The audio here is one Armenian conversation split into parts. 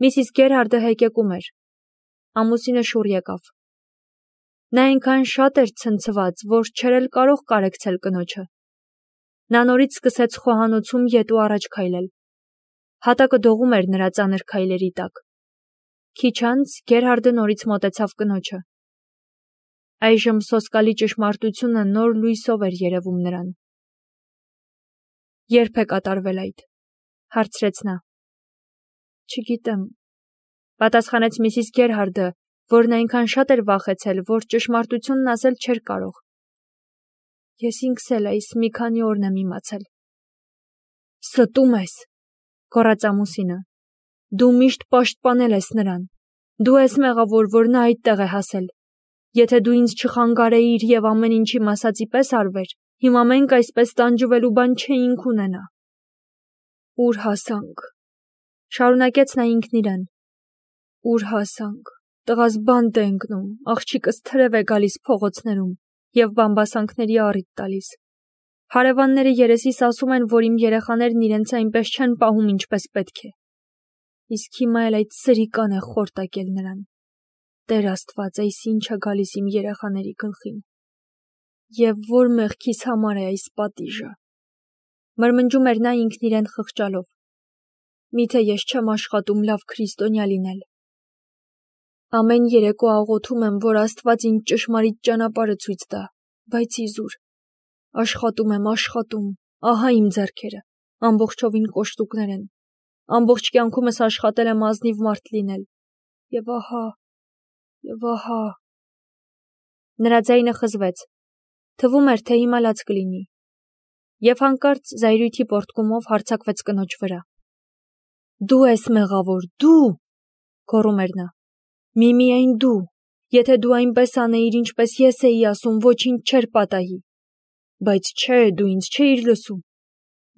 Միսիս Գերհարդը հեկեկում էր։ Ամուսինը շուռ եկավ։ Նա այնքան շատ էր ցնցված, որ չէր էլ կարող կարեկցել կնոջը։ Նա նորից սկսեց խոհանոցում ետ ու առաջ քայլել։ Հատակը դողում էր նրա ծանր քայլերի տակ։ Քիչ անց Գերհարդը նորից մոտեցավ կնոջը։ Այժմ սոսկալի ճշմարտությունը նոր լույսով էր երևում նրան։ Երբ է կատարվել այդ, հարցրեց նա։ Չգիտեմ, պատասխանեց Միսիս Գերհարդը, որն այնքան շատ էր վախեցել, որ ճշմարտությունն ասել չէր կարող։ Ես ինքս էլ այս մի քանի օրն եմ իմացել։ Ստում ես, գոռաց ամուսինը։ Դու միշտ պաշտպանել ես նրան։ Դու ես մեղավոր, որ նա այդտեղ է հասել։ Եթե դու ինձ չխանգարեիր եւ ամեն ինչ իմ ասածի պես արվեր, հիմա մենք այսպես տանջվելու բան չէինք ունենա։ Ուր հասանք, շարունակեց նա ինքն իրեն։ Ուր հասանք, տղաս բանտ է ընկնում, աղջիկս թրև է գալիս փողոցներում եւ բամբասանքների առիթ տալիս։ Հարևանները երեսիս ասում են, որ իմ երեխաներն իրենց այնպես չեն պահում, ինչպես պետք է։ Իսկ հիմա էլ այդ սրիկան է խորտակել նրան։ Տեր Աստված, այս ինչ է գալիս իմ երեխաների գլխին։ Եվ որ մեղքիս համար է այս պատիժը։ Մրմնջում էր նա ինքն իրեն խղճալով։ Միթե ես չեմ աշխատում լավ քրիստոնյա լինել։ Ամեն երեկո աղոթում եմ, որ Աստված ինձ ճշմարիտ ճանապարհը ցույց տա, բայց իզուր։ Աշխատում եմ, ահա իմ ձեռքերը, ամբողջովին կոշտուկներ են։ Ամբողջ կյանքումս աշխատել եմ ազնիվ մարդ լինել։ Եվ ահա։ Նրա ձայնը խզվեց։ Թվում էր, թե հիմա լաց կլինի։ Եվ հանկարծ զայրույթի պոռթկումով հարձակվեց կնոջ վրա։ Դու ես մեղավոր, դու, գոռում էր նա։ Միայն դու, եթե դու այնպես անեիր, ինչպես ես էի ասում, ոչինչ չէր պատահի։ Բայց չէ, դու ինձ չէիր լսում։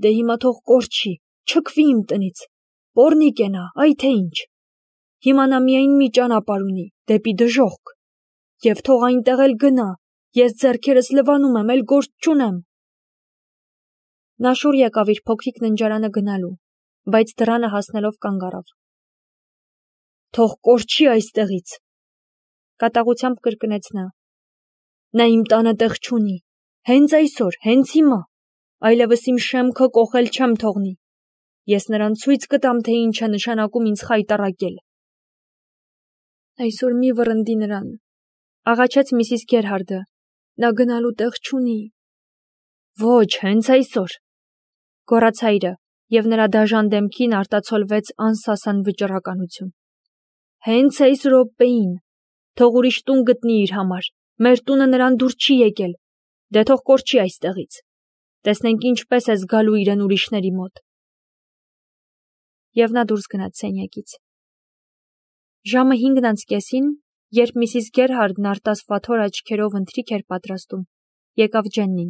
Դե հիմա թող կորչի, չքվի իմ տնից։ Պոռնիկ է նա, այ թե ինչ։ Հիմա նա միայն մի ճանապարհ ունի, դեպի դժոխք։ Եվ թող այնտեղ էլ գնա, ես ձեռքերս լվանում եմ, էլ գործ չունեմ։ Նա շուռ եկավ իր փոքրիկ ննջարանը գնալու, բայց դռանը հասնելով կանգ առավ։ Թող կորչի այստեղից, կատաղությամբ կրկնեց նա։ Նա իմ տանը տեղ չունի, հենց այսօր, հենց հիմա, այլևս իմ շեմքը կոխել չեմ թողնի։ Ես նրան ցույց կտամ, թե ինչ է նշանակում ինձ խայտառակել։ Այսօր մի վռնդի նրան, աղաչեց Միսիս Գերհարդը։ Նա գնալու տեղ չունի։ Ոչ, հենց այսօր, գոռաց հայրը, եւ նրա դաժան դեմքին արտացոլվեց անսասան վճռականություն։ Հենց այս րոպեին, թող ուրիշ տուն գտնի իր համար, մեր տունը նրան դուր չի եկել, դե թող կորչի այստեղից, տեսնենք ինչպես է զգալու իրեն ուրիշների մոտ։ Եվ նա դուրս գնաց սենյակից։ Ժամը 5:30, երբ Միսիս Գերհարդն արտասվաթոր աչքերով ընթրիք էր պատրաստում, եկավ Ջեննին։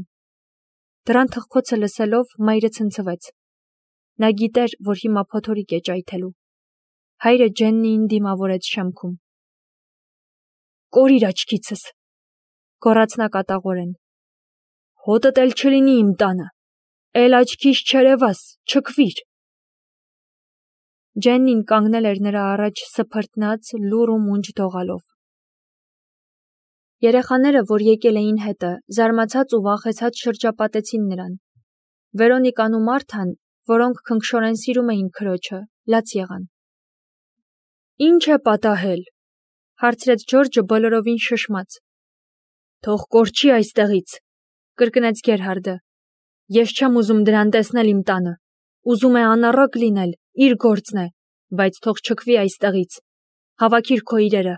Դռան թխկոցը լսելով, մայրը ցնցվեց։ Նա գիտեր, որ հիմա փոթորիկ է ճայթելու։ Հայրը Ջեննիին դիմավորեց շեմքում։ Կորիր աչքիցս, գոռաց նա կատաղորեն։ Հոտդ էլ չլինի իմ տանը, էլ աչքիս չերևաս, չքվիր։ Ջեննին կանգնել էր նրա առաջ սփրտնած, լուռ ու մունջ դողալով։ Երեխաները, որ եկել էին հետը, զարմացած ու վախեցած շրջապատեցին նրան։ Վերոնիկան ու Մարթան, որոնք քնքշորեն սիրում էին քրոջը, լաց եղան։ Ինչ է պատահել, հարցրեց Ջորջը բոլորովին շշմած։ Թող կորչի այստեղից, կրկնեց Գերհարդը։ Ես չեմ ուզում դրան տեսնել իմ տանը։ Ուզում է անառակ լինել, իր գործն է, բայց թող չքվի այստեղից։ Հավաքիր քո իրերը,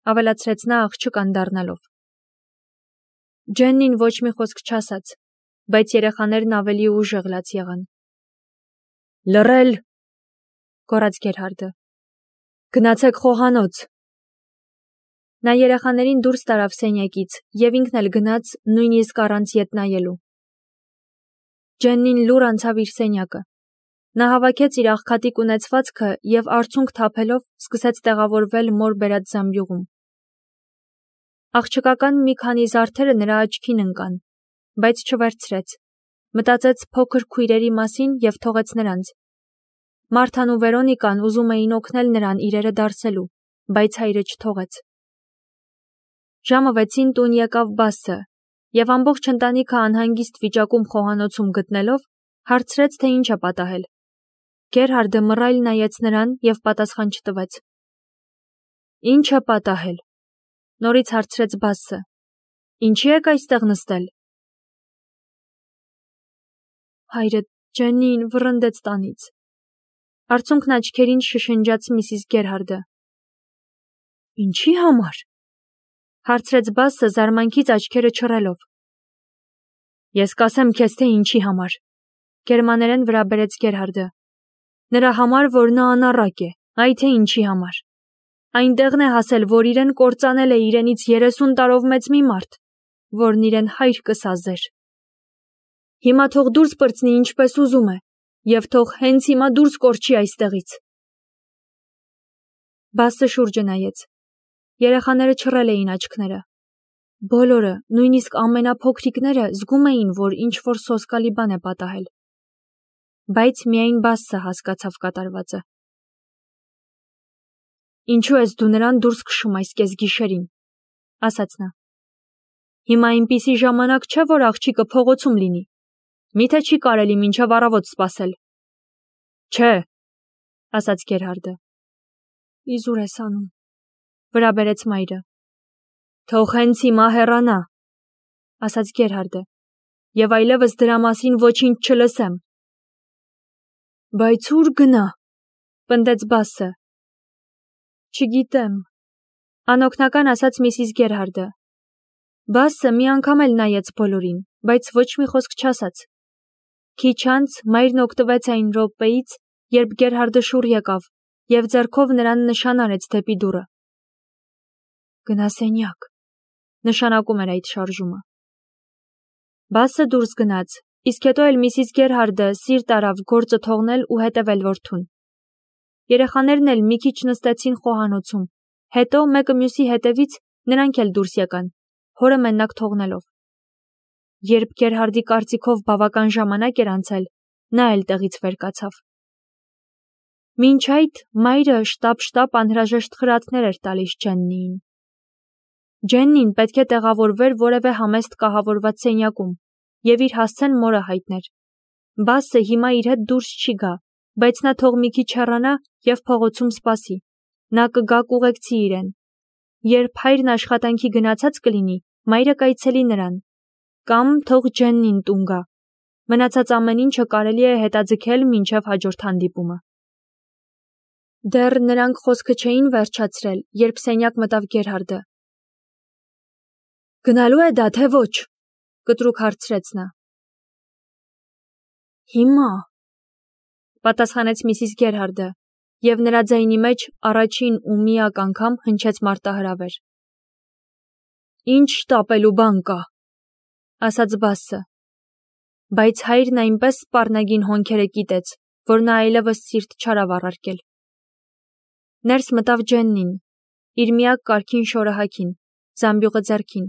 ավելացրեց նա աղջիկ անդառնալով։ Ջեննին ոչ մի խոսք չասաց, բայց երեխաներն ավելի ուժեղ լաց եղան։ Լռել, գոռաց Գերհարդը։ Գնացեք խոհանոց։ Նա երեխաներին դուրս տարավ սենյակից եւ ինքն էլ գնաց նույնիսկ առանց ետ նայելու։ Ջեննին լուռ անցավ իր սենյակը։ Նա հավաքեց իր աղքատիկ ունեցվածքը եւ արցունք թափելով սկսեց տեղավորվել մոր բերած զամբյուղում։ Աղջկական մի քանի զարդերը նրա աչքին ընկան, բայց չվերցրեց։ Մտածեց փոքր քույրերի մասին եւ թողեց նրանց։ Մարթան ու Վերոնիկան ուզում էին օգնել նրան իրերը դարսելու, բայց հայրը չթողեց։ Ժամը 6-ին տուն եկավ Բասսը, և ամբողջ ընտանիքը անհանգիստ վիճակում խոհանոցում գտնելով, հարցրեց, թե ինչ է պատահել։ Գերհարդը մռայլ նայեց նրան և պատասխան չտվեց։ Ինչ է պատահել, նորից հարցրեց Բասսը։ Ինչի եք այստեղ նստել։ Հայրը Ջեննիին վռնդեց տանից։ Արցունքն աչքերին շշնջաց Միսիս Գերհարդը։ Ինչի համար։ Հարցրեց Բասսը զարմանքից աչքերը չռելով։ Ես կասեմ քեզ, թե ինչի համար, գերմաներեն վրա բերեց Գերհարդը։ Նրա համար, որ նա անառակ է, այ թե ինչի համար։ Այնտեղն է հասել, որ իրեն կործանել է իրենից 30 տարով մեծ մի մարդ, որն իրեն հայր կսազեր։ Հիմա թող դուրս պրծնի ինչպես ուզում է, և թող հենց հիմա դուրս կորչի այստեղից։ Բասսը շուրջը նայեց։ Երեխաները չռել էին աչքները։ Բոլորը, նույնիսկ ամենափոքրիկները, զգում էին, որ ինչ-որ սոսկալի բան է պատահել։ Բայց միայն Բասսը հասկացավ կատարվածը։ Ինչու ես դու նրան դուրս քշում այս կեսգիշերին, ասաց նա։ Հիմա այնպիսի ժամանակ չէ, որ աղջիկը փողոցում լինի։ Միթե չի կարելի մինչև առավոտ սպասել։ Չէ, ասաց Գերհարդը։ Իզուր ես անում, վրա բերեց մայրը։ Թող հենց հիմա հեռանա, ասաց Գերհարդը, և այլևս դրա մասին ոչինչ չլսեմ։ Բայց ուր գնա, պնդեց Բասսը։ Չգիտեմ, անօգնական ասաց Միսիս Գերհարդը։ Բասսը մի անգամ էլ նայեց բոլորին, բայց ոչ մի խոսք չասաց։ Քիչ անց մայրն օգտվեց այն րոպեից, երբ Գերհարդը շուռ եկավ և ձեռքով նրան նշան արեց դեպի դուռը։ Գնա սենյակ, նշանակում էր այդ շարժումը։ Բասսը դուրս գնաց, իսկ հետո էլ Միսիս Գերհարդը սիրտ արավ գործը թողնել ու հետևել որդուն։ Երեխաներն էլ մի քիչ նստեցին խոհանոցում, հետո մեկը մյուսի հետևից նրանք էլ դուրս եկան, հորը մենակ թողնելով։ Երբ Գերհարդի կարծիքով բավական ժամանակ էր անցել, նա էլ տեղից վեր կացավ։ Մինչ այդ մայրը շտապ անհրաժեշտ խրատներ էր տալիս Ջեննիին։ Ջեննին պետք է տեղավորվեր որևէ համեստ կահավորված սենյակում և իր հասցեն մորը հայտներ։ Բասսը հիմա իր հետ դուրս չի գա, բայց նա թող մի քիչ հեռանա և փողոցում սպասի։ Նա կգա կուղեկցի իրեն։ Երբ հայրն աշխատանքի գնացած կլինի, մայրը կայցելի նրան։ Կամ թող Ջեննին տուն գա։ Մնացած ամեն ինչը կարելի է հետաձգել մինչև հաջորդ հանդիպումը։ Դեռ նրանք խոսքը չէին վերջացրել, երբ սենյակ մտավ Գերհարդը։ Գնալու է դա, թե ոչ, կտրուկ հարցրեց նա։ Հիմա, պատասխանեց Միսիս Գերհարդը, և նրա ձայնի մեջ առաջին ու միակ անգամ հնչեց մարտահրավեր։ Ինչ շտապելու բան կա, ասաց Բասսը։ Բայց հայրն այնպես սպառնագին հոնքերը կիտեց, որ նա այլևս սիրտ չարավ առարկել։ Ներս մտավ Ջեննին, իր միակ կարգին շորահաքին, զամբյուղը ձեռքին։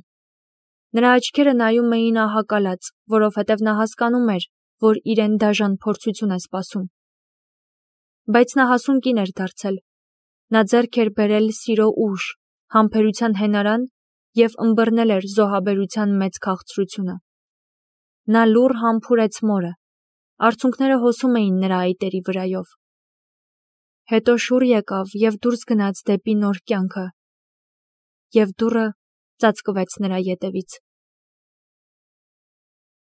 Նրա աչքերը նայում էին ահակալած, որովհետև նա հասկանում էր, որ իրեն դաժան փորձություն է սպասում։ Բայց նա հասուն կին էր դարձել։ Նա ձեռք էր բերել սիրո ուժ, համբերության հենարան և ըմբռնել էր զոհաբերության մեծ քաղցրությունը։ Նա լուռ համբուրեց մորը, արցունքները հոսում էին նրա այտերի վրայով։ Հետո շուռ եկավ և դուրս գնաց դեպի նոր կյանքը, և դուռը ծածկվեց նրա ետևից։